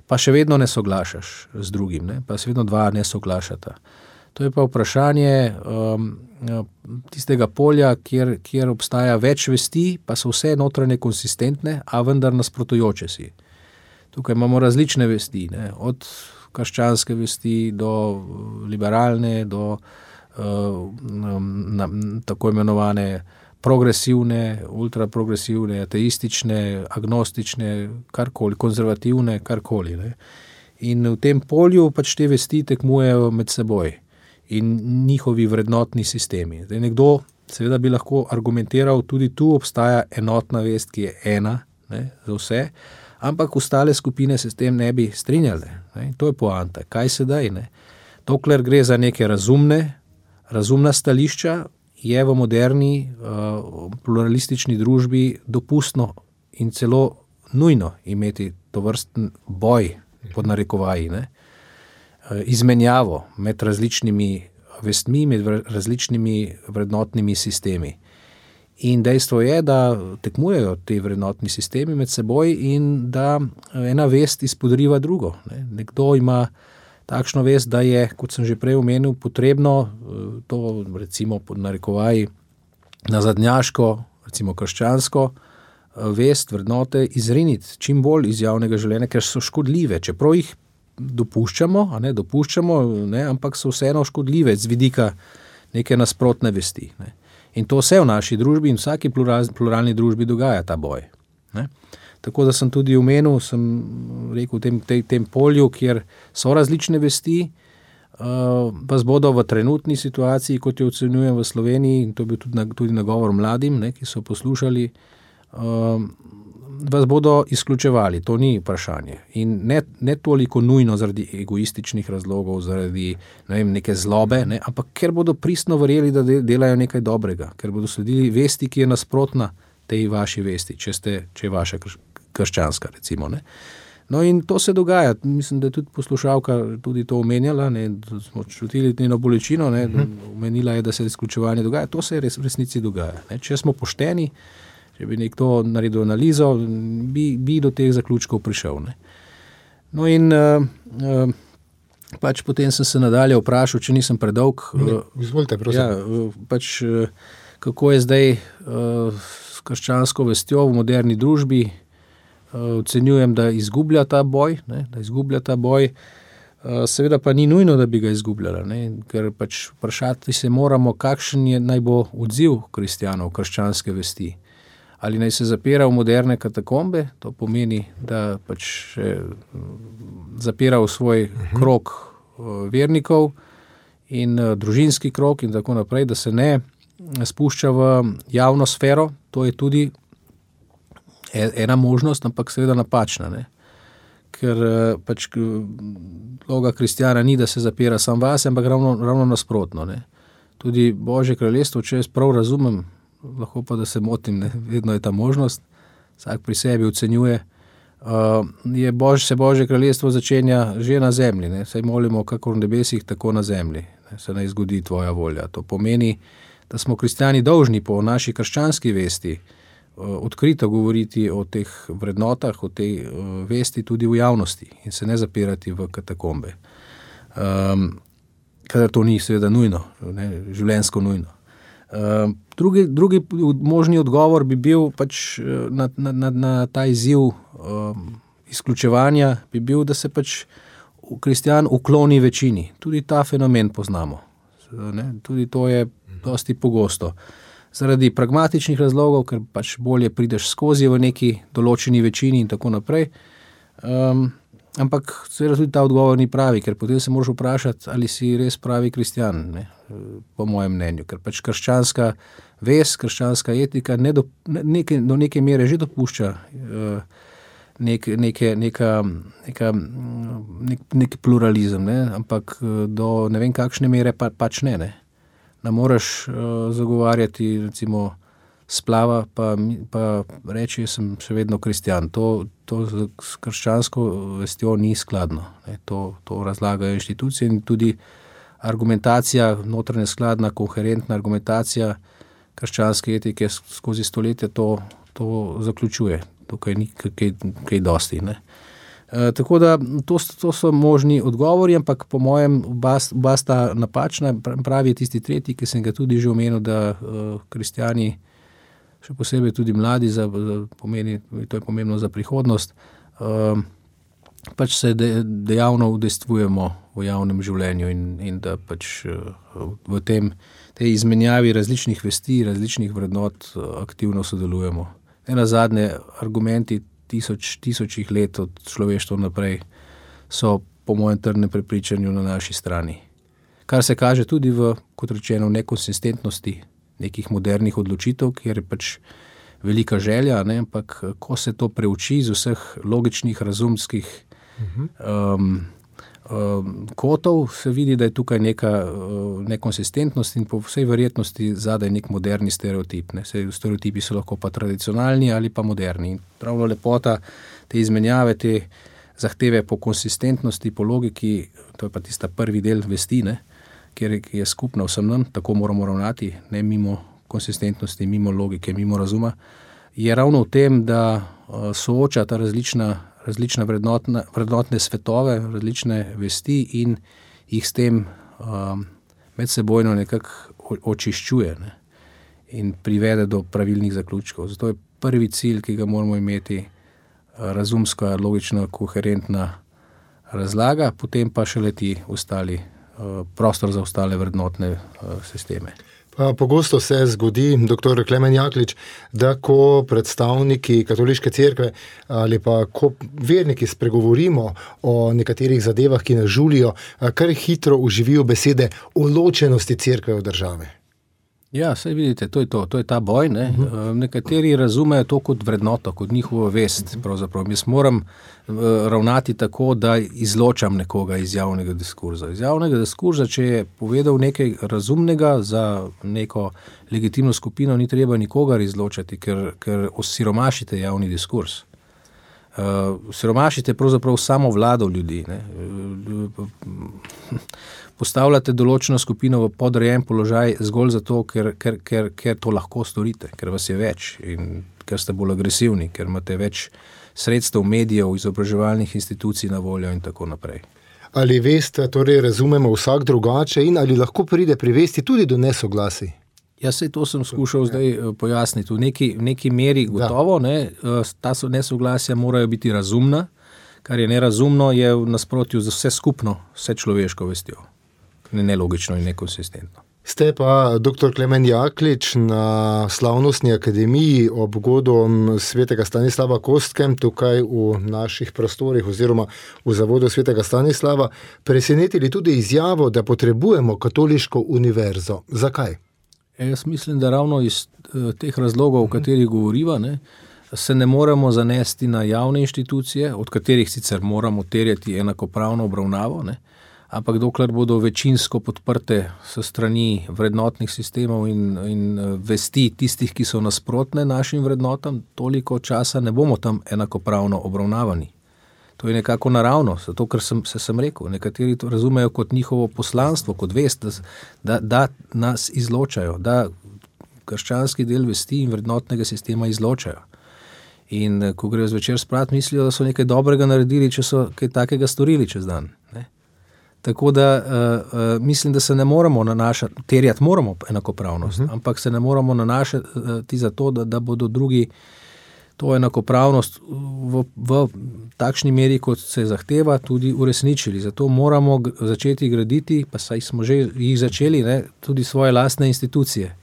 pa še vedno ne soglašaš z drugim, pa se vedno dva ne soglašata. To je pa vprašanje tistega polja, kjer obstaja več vesti, pa so vse notranje konsistentne, a vendar nasprotujoče si. Tukaj imamo različne vesti, od krščanske vesti do liberalne, do tako imenovane progresivne, ultraprogresivne, ateistične, agnostične, karkoli, konzervativne, karkoli. In v tem polju pač te vesti tekmujejo med seboj in njihovi vrednotni sistemi. Zdaj nekdo seveda bi lahko argumentiral, tudi tu obstaja enotna vest, ki je ena, za vse, ampak ostale skupine se s tem ne bi strinjale. To je poanta. Kaj sedaj? Dokler gre za neke razumna stališča, je v moderni pluralistični družbi dopustno in celo nujno imeti tovrsten boj, pod narekovaji, izmenjavo med različnimi vestmi, med različnimi vrednotnimi sistemi. In dejstvo je, da tekmujejo te vrednotni sistemi med seboj in da ena vest izpodriva drugo. Nekdo ima takšno vest, da je, kot sem že prej omenil, potrebno to recimo pod narekovaji nazadnjaško, recimo krščansko vest, vrednote izriniti čim bolj iz javnega življenja, ker so škodljive. Čeprav jih dopuščamo, ampak so vseeno škodljive z vidika neke nasprotne vesti. In to vse v naši družbi in vsaki pluralni družbi dogaja ta boj. Tako da sem tudi omenil, sem rekel, v tem polju, kjer so različne vesti, vas bodo v trenutni situaciji, kot jo ocenjujem v Sloveniji, in to je bil tudi nagovor mladim, ki so poslušali, vas bodo izključevali, to ni vprašanje. In ne toliko nujno zaradi egoističnih razlogov, zaradi neke zlobe, ampak ker bodo pristno verjeli, da delajo nekaj dobrega, ker bodo sledili vesti, ki je nasprotna tej vaši vesti, če je vaša krščanska, recimo. No in to se dogaja, mislim, da je tudi poslušalka tudi to omenjala, da smo čutili njeno bolečino, omenila je, da se izključevanje dogaja, to se v resnici dogaja. Če smo pošteni, če bi nekdo naredil analizo, bi do teh zaključkov prišel. No in pač potem sem se nadalje vprašal, če nisem predolg. Izvolite, prosim. Pač kako je zdaj s krščansko vestjo v moderni družbi. Ocenjujem, da izgublja ta boj, Seveda pa ni nujno, da bi ga izgubljala, ne? Ker pač vprašati se moramo, kakšen je naj bo odziv kristjanov, krščanske vesti. Ali naj se zapira v moderne katakombe, to pomeni, da pač zapira v svoj krog vernikov in družinski krog in tako naprej, da se ne spušča v javno sfero, to je tudi ena možnost, ampak seveda napačna, ne? Ker pač vloga kristjana ni, da se zapira sam vase, ampak ravno nasprotno, ne? Tudi Božje kraljestvo, če jaz prav razumem, lahko pa, da se motim, ne? Vedno je ta možnost, vsak pri sebi ocenjuje, se Božje kraljestvo začenja že na zemlji, ne? Saj molimo kakor v nebesih, tako na zemlji, ne? Se naj zgodi tvoja volja. To pomeni, da smo kristjani dolžni po naši krščanski vesti odkrito govoriti o teh vrednotah, o tej vesti tudi v javnosti in se ne zapirati v katakombe. Kadar to ni seveda nujno, ne, življenjsko nujno. Drugi možni odgovor bi bil pač na ta izziv izključevanja, bi bil, da se pač kristjan ukloni večini. Tudi ta fenomen poznamo. Ne? Tudi to je dosti pogosto. Zaradi pragmatičnih razlogov, ker pač bolje prideš skozi v neki določeni večini in tako naprej. Ampak seveda tudi ta odgovor ni pravi, ker potem se moraš vprašati, ali si res pravi kristjan, ne? Po mojem mnenju. Ker pač krščanska vest, krščanska etika do neke mere že dopušča nek pluralizem, ne? Ampak do ne vem kakšne mere pač ne. Da moraš zagovarjati recimo splava, pa reči, jaz sem še vedno kristjan. To s krščansko vestjo ni skladno. Ne? To razlagajo inštitucije in tudi argumentacija, notranja skladna, koherentna argumentacija krščanske etike skozi stoletja to zaključuje. Tukaj ni kaj dosti, ne? Tako da to so možni odgovori, ampak po mojem oba sta napačna. Pravi je tisti tretji, ki sem ga tudi že omenil, da kristjani, še posebej tudi mladi, to je pomembno za prihodnost, pač se dejavno udejstvujemo v javnem življenju in da pač v tej izmenjavi različnih vesti, različnih vrednot aktivno sodelujemo. Nenazadnje argumenti tisočih let od človeštva naprej so po mojem trdnem prepričanju na naši strani. Kar se kaže tudi kot rečeno, nekonsistentnosti nekih modernih odločitev, kjer je pač velika želja, ne? Ampak ko se to preuči iz vseh logičnih, razumskih kotov, se vidi, da je tukaj neka nekonsistentnost in po vsej verjetnosti zadaj nek moderni stereotip. Ne? Stereotipi so lahko pa tradicionalni ali pa moderni. In pravno lepota te izmenjave, te zahteve po konsistentnosti, po logiki, to je pa tista prvi del vesti, ne? Kjer je skupna vsem nam, tako moramo ravnati, ne mimo konsistentnosti, mimo logike, mimo razuma, je ravno v tem, da sooča ta različna vrednotne svetove, različne vesti in jih s tem medsebojno nekako očiščuje, ne? In privede do pravilnih zaključkov. Zato je prvi cilj, ki ga moramo imeti, razumska, logična, koherentna razlaga, potem pa šele ti ostali prostor za ostale vrednotne sisteme. Pogosto se zgodi, dr. Klemen Jaklič, da ko predstavniki katoliške cerkve ali pa ko verniki spregovorimo o nekaterih zadevah, ki nas žulijo, kar hitro uživijo besede o ločenosti cerkve od države. Ja, saj vidite, to je ta boj, ne? Nekateri razumejo to kot vrednoto, kot njihovo vest, pravzaprav. Jaz moram ravnati tako, da izločam nekoga iz javnega diskurza. Iz javnega diskurza, če je povedal nekaj razumnega za neko legitimno skupino, ni treba nikogar izločati, ker osiromašite javni diskurs. Siromašite pravzaprav samo vlado ljudi, ne? Postavljate določeno skupino v podrejen položaj zgolj zato, ker to lahko storite, ker vas je več in ker ste bolj agresivni, ker imate več sredstev, medijev, izobraževalnih institucij na voljo in tako naprej. Ali vest torej razumemo vsak drugače in ali lahko pride pri vesti tudi do nesoglasij? Ja, sej to sem skušal zdaj pojasniti. V neki meri gotovo, ne, ta nesoglasja morajo biti razumna, kar je nerazumno, je v nasprotju z vse skupno, vse človeško vestjo. Nelogično in nekonsistentno. Ste pa dr. Klemen Jaklič na Slavnostni akademiji ob godom svetega Stanislava Kostkem tukaj v naših prostorih oziroma v zavodu svetega Stanislava presenetili tudi izjavo, da potrebujemo katoliško univerzo. Zakaj? Jaz mislim, da ravno iz teh razlogov, o katerih govoriva, se ne moremo zanesti na javne inštitucije, od katerih sicer moramo terjati enakopravno obravnavo, ampak dokler bodo večinsko podprte s strani vrednotnih sistemov in vesti tistih, ki so nasprotne našim vrednotam, toliko časa ne bomo tam enakopravno obravnavani. To je nekako naravno, zato ker sem rekel, nekateri to razumejo kot njihovo poslanstvo, kot vest, da nas izločajo, da krščanski del vesti in vrednotnega sistema izločajo. In ko grejo zvečer sprat, mislijo, da so nekaj dobrega naredili, če so kaj takega storili čez dan. Tako da mislim, da se ne moramo nanašati, terjati moramo enakopravnost, ampak se ne moramo nanašati za to, da bodo drugi to enakopravnost v takšni meri, kot se zahteva, tudi uresničili. Zato moramo začeti graditi, pa saj smo že jih začeli, tudi svoje lastne institucije.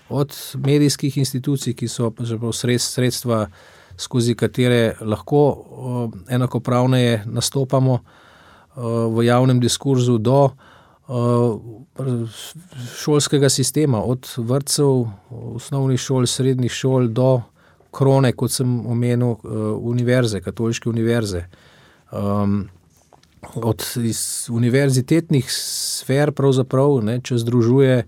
Od medijskih institucij, ki so sredstva, skozi katere lahko enakopravneje nastopamo v javnem diskurzu, do šolskega sistema, od vrtcev, osnovnih šol, srednjih šol do krone, kot sem omenil, univerze, katoliške univerze. Od univerzitetnih sfer pravzaprav, če združuje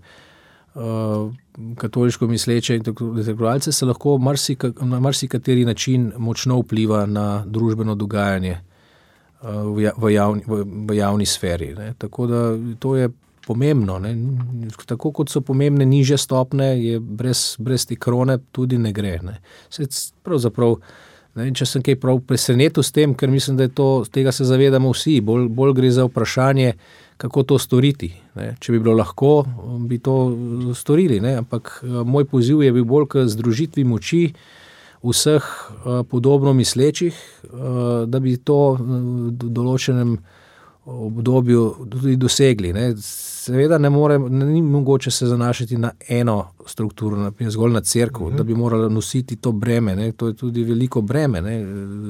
katoliško misleče intelektualce, se lahko na marsikateri način močno vpliva na družbeno dogajanje v javni sferi. Tako da to je pomembno. Tako kot so pomembne nižje stopne, je brez te krone tudi ne gre. Pravzaprav, če sem kaj prav presenetil s tem, ker mislim, da tega se zavedamo vsi, bolj gre za vprašanje, kako to storiti. Če bi bilo lahko, bi to storili, ampak moj poziv je bil bolj k združitvi moči vseh podobno mislečih, da bi to v določenem obdobju tudi dosegli. Seveda ni mogoče se zanašati na eno strukturo, zgolj na cerkev, da bi morala nositi to breme. To je tudi veliko breme,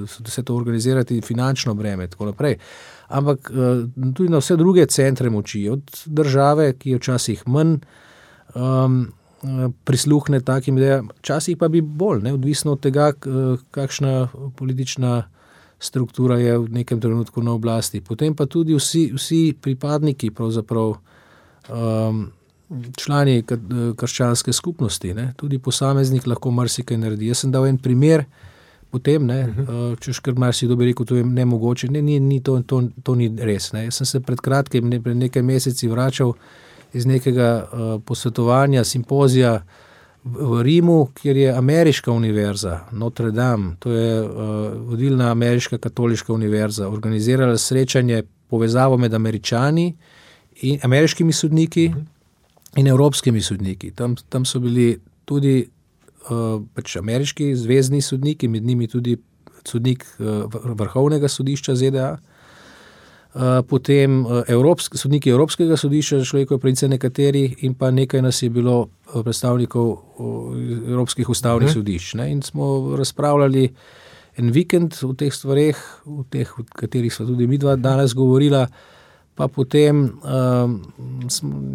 vse to organizirati finančno breme, tako naprej. Ampak tudi na vse druge centre moči, od države, ki je včasih manj prisluhne takim idejam, včasih pa bi bolj, odvisno od tega, kakšna politična struktura je v nekem trenutku na oblasti. Potem pa tudi vsi pripadniki, pravzaprav člani krščanske skupnosti, tudi posameznik lahko marsikaj naredi. Jaz sem dal en primer, potem, češ kar marsikdo bi rekel, to je nemogoče, to ni res. Jaz sem se pred kratkim, pred nekaj meseci vračal iz nekega posvetovanja, simpozija v Rimu, kjer je ameriška univerza, Notre Dame, to je vodilna ameriška katoliška univerza, organizirala srečanje, povezavo med Američani in ameriškimi sodniki in evropskimi sodniki. Tam so bili tudi ameriški zvezni sodniki, med njimi tudi sodnik Vrhovnega sodišča ZDA, potem sodniki Evropskega sodišča za človekove pravice nekateri in pa nekaj nas je bilo predstavnikov Evropskih ustavnih sodišč. In smo razpravljali en vikend o teh stvareh, o katerih sva tudi midva danes govorila, pa potem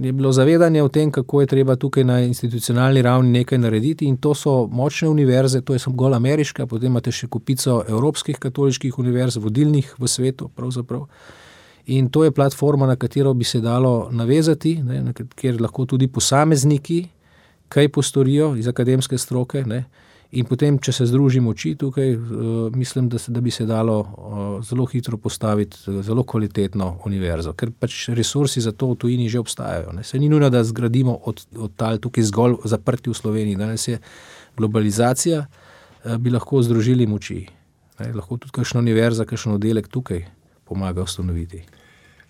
je bilo zavedanje o tem, kako je treba tukaj na institucionalni ravni nekaj narediti, in to so močne univerze, to je zgolj ameriška, potem imate še kupico evropskih katoliških univerz, vodilnih v svetu pravzaprav. In to je platforma, na katero bi se dalo navezati, kjer lahko tudi posamezniki kaj postorijo iz akademske stroke, in potem, če se združimo oči tukaj, mislim, da bi se dalo zelo hitro postaviti zelo kvalitetno univerzo, ker pač resursi za to v tujini že obstajajo. Se ni nujno, da zgradimo od tal tukaj zgolj zaprti v Sloveniji. Danes je globalizacija, bi lahko združili moči. Lahko tudi kakšna univerza, kakšen oddelek tukaj pomaga ustanoviti.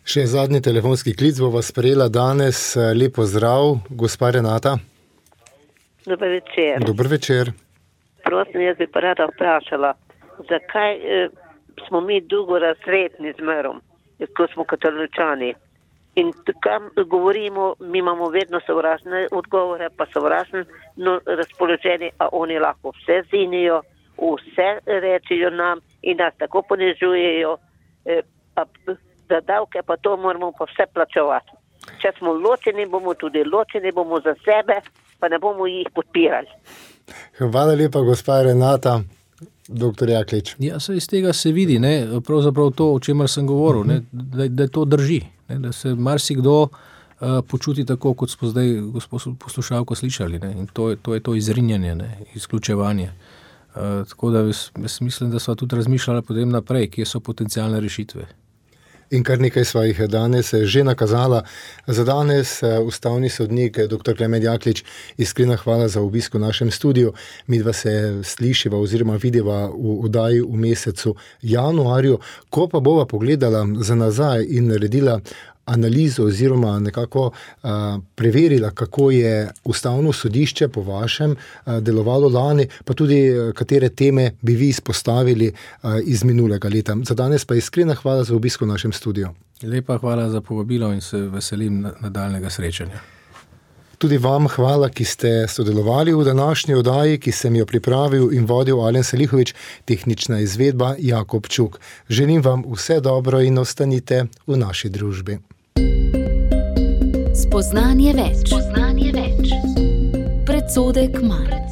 Še zadnji telefonski klic bova sprejela danes. Lep pozdrav, gospa Renata. Dober večer. Dober večer. Prosim, jaz bi pa rada vprašala, zakaj smo mi drugorazredni zmerom, ko smo Katoličani. In kam govorimo, mi imamo vedno sovražne odgovore, pa sovražno razpoloženje, a oni lahko vse zinijo, vse rečijo nam in nas tako ponižujejo, pa za davke pa to moramo pa vse plačevati. Če smo ločeni, bomo tudi ločeni, bomo za sebe, pa ne bomo jih podpirali. Hvala lepa, gospa Renata. Doktor Jaklič. Ja, iz tega se vidi, ne, pravzaprav to, o čemer sem govoril, ne, da to drži, ne, da se marsikdo počuti tako, kot smo zdaj gospod poslušalko slišali, ne, in to je to izrinjanje, ne, izključevanje. Tako da jaz mislim, da sva tudi razmišljala potem naprej, kje so potencialne rešitve. In kar nekaj svojih danes že nakazala. Za danes ustavni sodnik dr. Klemen Jaklič, iskrena hvala za obisk v našem studiu. Midva se slišiva oziroma vidiva v oddaji v mesecu januarju, ko pa bova pogledala za nazaj in naredila analizo oziroma nekako preverila, kako je ustavno sodišče po vašem delovalo lani, pa tudi katere teme bi vi izpostavili iz minulega leta. Za danes pa iskrena hvala za obisk v našem studiu. Lepa hvala za povabilo in se veselim nadaljnega srečanja. Tudi vam hvala, ki ste sodelovali v današnji oddaji, ki sem jo pripravil in vodil Alen Selihovič, tehnična izvedba Jakob Čuk. Želim vam vse dobro in ostanite v naši družbi. Spoznanje več. Predsodek manj.